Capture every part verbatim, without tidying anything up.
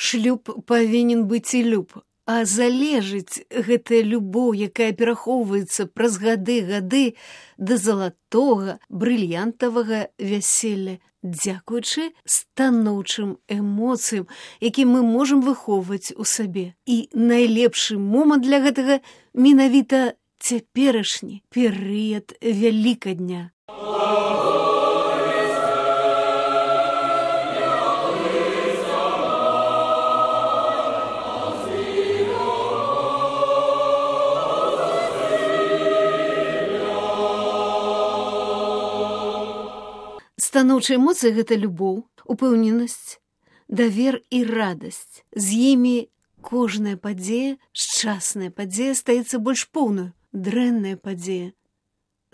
Шлюб павінен быць і люб, а залежыць гэтая любоў, якая перахоўваецца праз гады-гады да залатога, брыльянтавага вяселля, дзякуючы станоўчым эмоцыям, які мы можам выхоўваць у сабе. І найлепшы момант для гэтага менавіта цяперашні перыяд Вялікадня. Станоўчыя эмоцыі – гэта любоў, упэўненасць, давер і радасць. З імі кожная падзея, шчасная падзея стаецца больш поўнаю, дрэнная падзея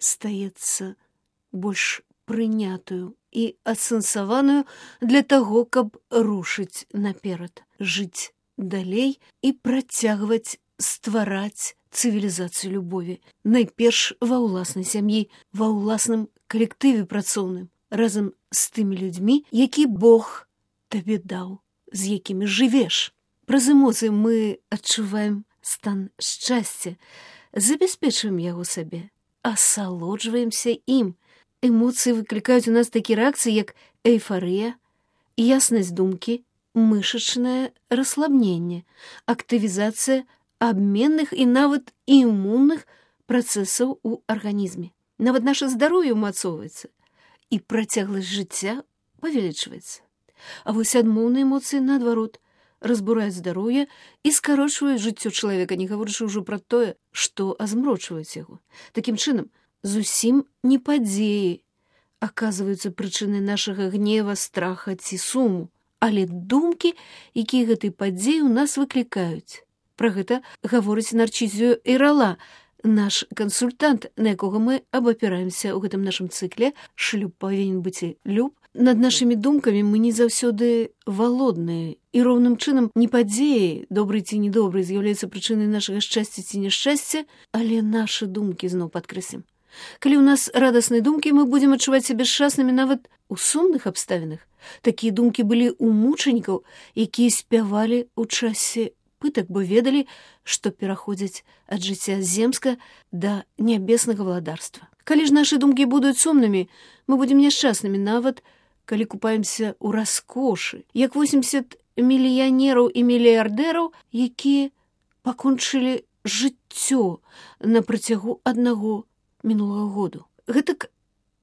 стаецца больш прынятую і асэнсаваную для таго, каб рушыць наперад, жыць далей і працягваць ствараць цывілізацыю любові. Найперш ва ўласнай сям'і, ва ўласным калектыве працоўным, разам з тымі людзьмі, які Бог табе даў, з якімі жывеш. Праз эмоцыі мы адчуваем стан шчасця, забяспечваем яго сабе, асалоджваемся ім. Эмоцыі выклікаюць у нас такія рэакцыі, як эйфарыя, яснасць думкі, мышачнае расслабненне, актывізацыя абменных і нават імунных працэсаў у арганізме. Нават наша здароўе ўмацоўваецца, і працягласць жыцця павялічваецца. А вось адмоўныя эмоцыі, наадварот, разбураюць здароўе і скарочваюць жыццё чалавека, не гаворачы ўжо пра тое, што азмрочваюць яго. Такім чынам, зусім не падзеі аказваюцца прычынай нашага гнева, страха ці суму, але думкі, якія гэтай падзеі ў нас выклікаюць. Пра гэта гаворыць Нарчызіо Эйрала, наш кансультант, на якога мы абапіраемся ў гэтым нашым цыкле «Шлюб павінен быць і люб». Над нашымі думкамі мы не заўсёды валодныя, і роўным чынам не падзеі, добры ці недобры, з'яўляюцца прычынай нашага шчасця ці няшчасця, але нашы думкі зноў падкрэслім. Калі ў нас радасныя думкі, мы будзем адчуваць сябе шчаснымі нават у сумных абставінах. Такія думкі былі ў мучанікаў, якія спявалі ў часе пытак, бо ведалі, што пераходзяць ад жыцця земска да нябеснага валадарства. Калі ж нашы думкі будуць сумнымі, мы будзем няшчаснымі нават, калі купаемся ў раскошы, як восемьдесят мільянераў і мільярдэраў, якія пакончылі жыццё на працягу аднаго мінулага году. Гэтак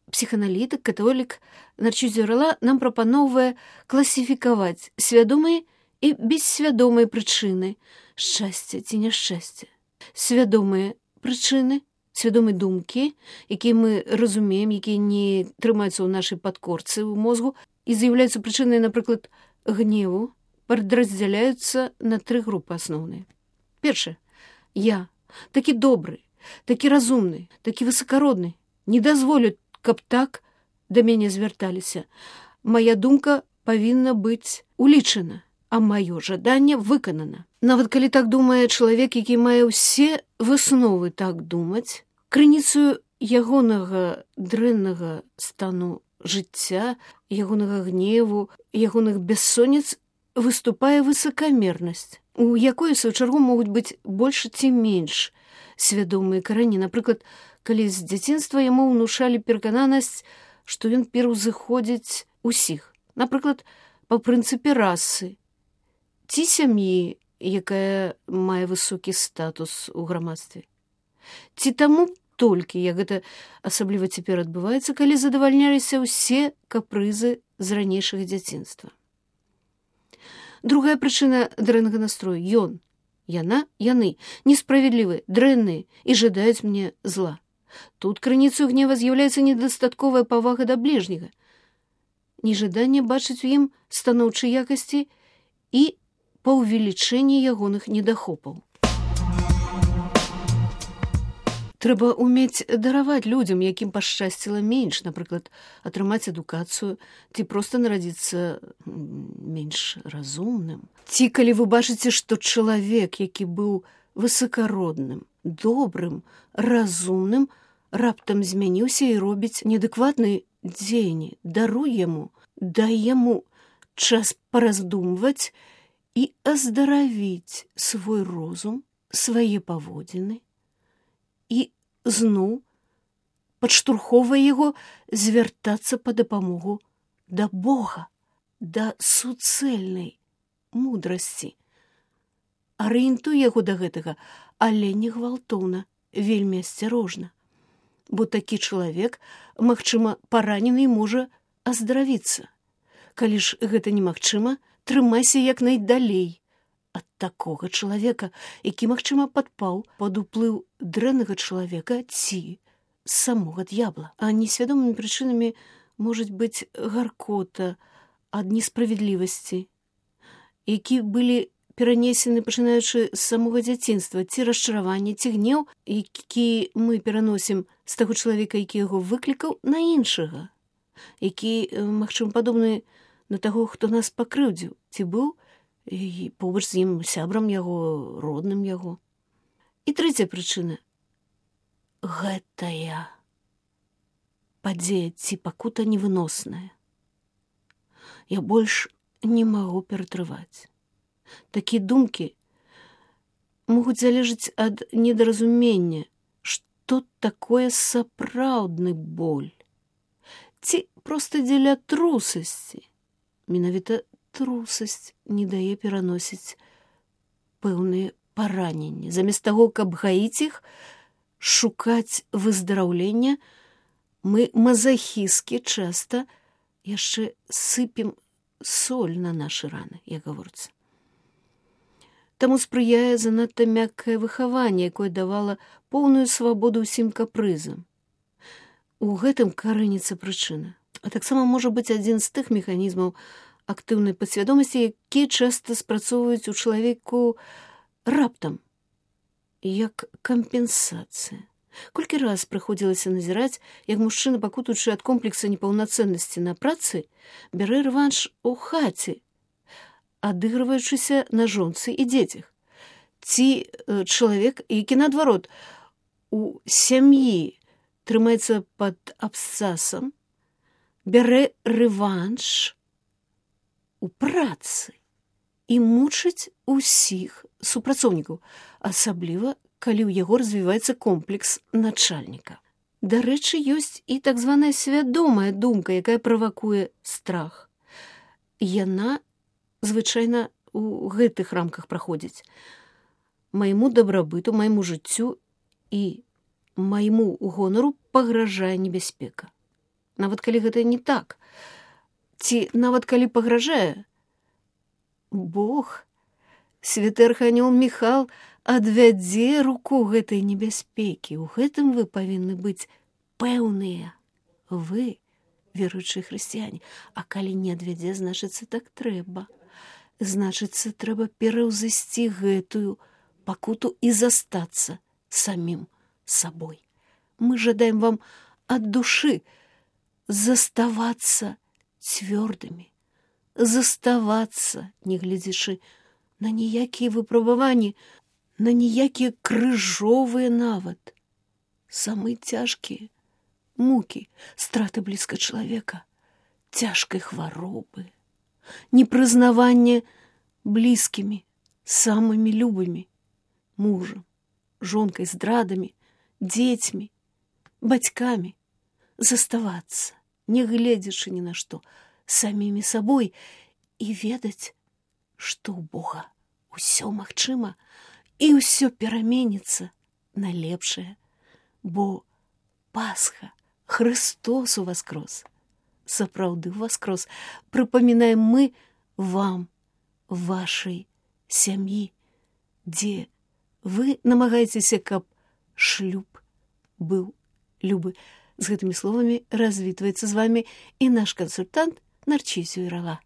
псіханалітык, католік Нарчызіо Эйрала нам прапаноўвае класіфікаваць свядомыя і бессвядомыя прычыны шчасця ці няшчасця. Свядомыя прычыны, свядомыя думкі, якія мы разумеем, якія не трымаюцца ў нашай падкорцы ў мозгу і з'яўляюцца прычынай, напрыклад, гневу, падраздзяляюцца на тры групы асноўныя. Першае. Я такі добры, такі разумны, такі высакародны. Не дазволю, каб так да мяне звярталіся. Мая думка павінна быць улічана, а маё жаданне выканана. Нават калі так думае чалавек, які мае ўсе высновы так думаць, крыніцаю ягонага дрэннага стану жыцця, ягонага гневу, ягоных бессонніц выступае высакамернасць, у якой, у сваю чаргу, могуць быць больш ці менш свядомыя карані. Напрыклад, калі з дзяцінства яму ўнушалі перакананасць, што ён пераўзыходзіць усіх. Напрыклад, па прынцыпе расы ці сям'і, якая мае высокі статус у грамадстве. Ці таму толькі, як гэта асабліва цяпер адбываецца, калі задавальняліся ўсе капрызы з ранейшага дзяцінства. Другая прычына дрэннага настрою. Ён, яна, яны несправядлівыя, дрэнныя і жадаюць мне зла. Тут крыніцаю гнева з'яўляецца недастатковая павага да бліжняга, нежаданне бачыць у ім станоўчыя якасці і паўвелічэнне ягоных недахопаў. Трэба ўмець дараваць людзям, якім пашчасціла менш, напрыклад, атрымаць адукацыю, ці проста нарадзіцца менш разумным. Ці калі вы бачыце, што чалавек, які быў высакародным, добрым, разумным, раптам змяніўся і робіць неадэкватныя дзеянні, даруй яму, дай яму час параздумваць і аздаравіць свой розум, свае паводзіны і зноў падштурхоўвае яго звяртацца па дапамогу да Бога, да суцэльнай мудрасці. Арыентуе яго да гэтага, але не гвалтоўна, вельмі асцярожна. Бо такі чалавек, магчыма, паранены можа аздаравіцца. Калі ж гэта немагчыма, трымайся як найдалей ад такога чалавека, які, магчыма, падпаў пад уплыў дрэннага чалавека ці самога д'ябла. А несвядомымі прычынамі можа быць гаркота ад несправядлівасці, які былі перанесены пачынаючы з самога дзяцінства, ці расчараванне, ці гнеў, які мы пераносім з таго чалавека, які яго выклікаў, на іншага, які, магчыма, падобны на таго, хто нас пакрыўдзіў, ці быў і побач з ім сябрам яго, родным яго. І трэцяя прычына. Гэтая падзея ці пакута невыносная. Я больш не магу ператрываць. Такія думкі могуць залежаць ад недаразумення, што такое сапраўдны боль. Ці проста дзеля трусасці. Менавіта трусасць не дае пераносіць пэўныя параненні. Замест таго, каб гаіць іх, шукаць выздараўлення, мы мазахісткі часта яшчэ сыпем соль на нашы раны, як гаворыцца. Таму спрыяе занадта мяккае выхаванне, якое давала поўную свабоду ўсім капрызам. У гэтым карэніцца прычына. А таксама можа быць адзін з тых механізмаў актыўнай падсвядомасці, якія часта спрацоўваюць у чалавеку раптам, як кампенсацыя. Колькі раз прыходзілася назіраць, як мужчына, пакутуючы ад комплекса непаўнацэннасці на працы, бярэ рэванш у хаце, адыгрываючыся на жонцы і дзецях. Ці чалавек, які, наадварот, у сям'і трымаецца пад абсцасам, бярэ рэванш у працы і мучыць усіх супрацоўнікаў, асабліва, калі ў яго развіваецца комплекс начальніка. Дарэчы, ёсць і так званая свядомая думка, якая правакуе страх. Яна звычайна у гэтых рамках праходзіць. Майму дабрабыту, майму жыццю і майму гонару пагражае небяспека. Нават калі гэта не так, ці нават калі пагражае, Бог, святы арханёл Міхал, адвядзе руку гэтай небяспекі. У гэтым вы павінны быць пэўныя. Вы, веруючыя хрысціяне. А калі не адвядзе, значыцца, так трэба. Значыцца, трэба пераўзысці гэтую пакуту і застацца самім сабой. Мы жадаем вам ад душы заставацца цвёрдымі, заставацца, не глядзячы на ніякія выпрабаванні, на ніякія крыжовыя нават, самыя цяжкія мукі, страты блізка чалавека, цяжкай хваробы, непрызнаванне блізкімі, самымі любымі, мужам, жонкай, здрадамі, дзецьмі, бацькамі, заставацца, не гледзячы ні на што, самімі сабой і ведаць, што ў Бога ўсё магчыма і ўсё пераменіцца на лепшае, бо Пасха, Христос уваскрос, сапраўды ўваскрос, прыпамінаем мы вам, вашай сям'і, дзе вы намагаецеся, каб шлюб быў любы. З гэтымі словамі развітваецца з вамі і наш кансультант Нарцісію Ірала.